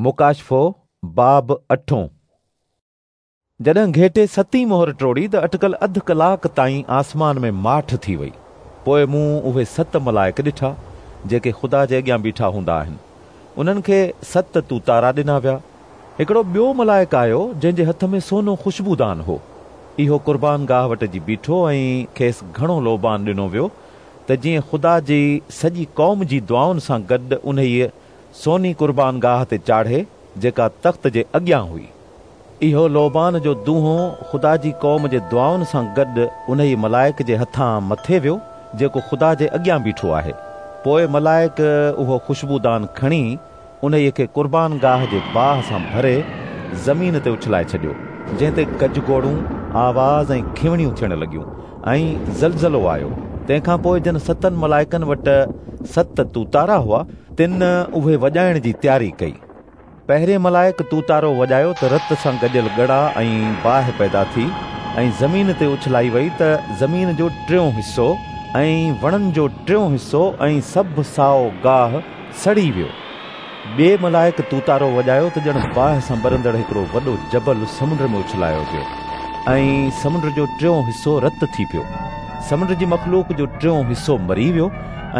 مڪاشفو باب اٺون. جڏهن گهيٽي ستين مهر ٽوڙي ته اٽڪل اڌ ڪلاڪ تائين آسمان ۾ ماٺ ٿي وئي. پوء مون اهي 7 ملائڪ ڏٺا جيڪي خدا جي اڳيان بيٺا هوندا آهن. انهن کي 7 توتارا ڏنا ويا. هڪڙو ٻيو ملائڪ آيو جنهن جي هٿ ۾ سونو خوشبودان هو. اهو قربان گاهه وٽ جي بيٺو ۽ کيس گهڻو لوبان ڏنو ويو ته جيئن خدا جي سڄي قوم جي دعائن سان گڏ انهيء سوني قربان گاهه تي چاڙهي جيڪا تخت جي اڳيان هئي. اهو لوبان جو دونهون خدا جي قوم جي دعائن سان گڏ انهيء ملائڪ جي هٿان مٿي ويو جيڪو خدا جي اڳيان بيٺو آهي. پوء ملائڪ اهو خوشبودان کڻي انهيء کي قربان گاهه جي باهه سان ڀري زمين تي اڇلائي ڇڏيو، جنهن تي گجگوڙون، آواز ۽ کنوڻيون ٿيڻ لڳيون ۽ زلزلو آيو. تنهن کان پوء جن 7 ملائڪن وٽ 7 توتارا هئا، تن اهي وڄائڻ جي تياري ڪئي. پهرين ملائڪ توتارو وڄايو ته رت سان گڏيل ڳڙا ۽ باهه پيدا ٿي ۽ زمين تي اڇلائي وئي ته زمين جو ٽيون حصو ۽ وڻن جو ٽيون حصو ۽ سڀ سائو گاهه سڙي ويو. ٻئي ملائڪ توتارو وڄايو ته ڄڻ باهه سان ٻرندڙ هڪڙو وڏو جبل سمنڊ ۾ اڇلايو ويو ۽ سمنڊ جو ٽيون حصو رت ٿي پيو. سمنڊ جي مخلوق جو ٽيون حصو مري ويو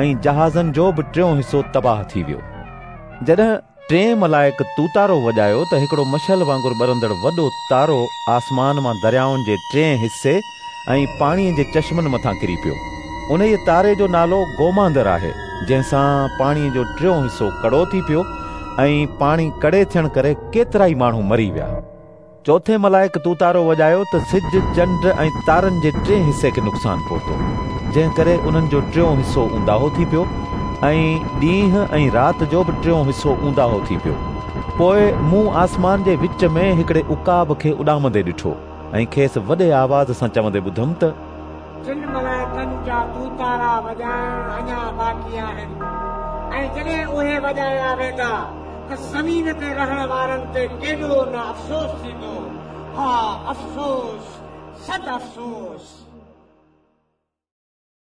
۽ جهازن جو به ٽيون حصو تباهه ٿي ويو. جڏهن ٽئين ملائڪ توتارو وڄايو ته هڪڙو مشعل وانگر ٻرندڙ وڏو تارو آسمان مان دريائن جي ٽئين حصي ۽ پاڻيء جي چشمن مٿان ڪري پيو. انهيء تاري جو نالو گوماندر آهي، جنهن سان پاڻيء جو ٽيون حصو ڪڙو ٿي پيو ۽ پاڻي ڪڙي ٿيڻ ڪري ڪيترائي ماڻهو مري ويا. چوٿين ملائڪ توتارو وڄايو ته سج، چنڊ ۽ تارن جي ٽئين حصي کي نقصان پهتو، جنهن ڪري انهن جو ٽيون حصو اونداهو ٿي پيو ۽ ڏينهن ۽ رات جو به ٽيون حصو اونداهو ٿي پيو. پوء مون آسمان جي وچ ۾ هڪڙي عقاب کي اڏامندي ڏٺو ۽ کيس وڏي آواز سان چوندي ٻڌم ته ٽن ملائڪن جا توتارا وڄائڻ اڃا باقي آهن ۽ جڏهن اهي وڄايا ويندا ته زمين تي رهڻ وارن تي ڪيڏو نه افسوس ٿيندو. ها، افسوس، صد افسوس.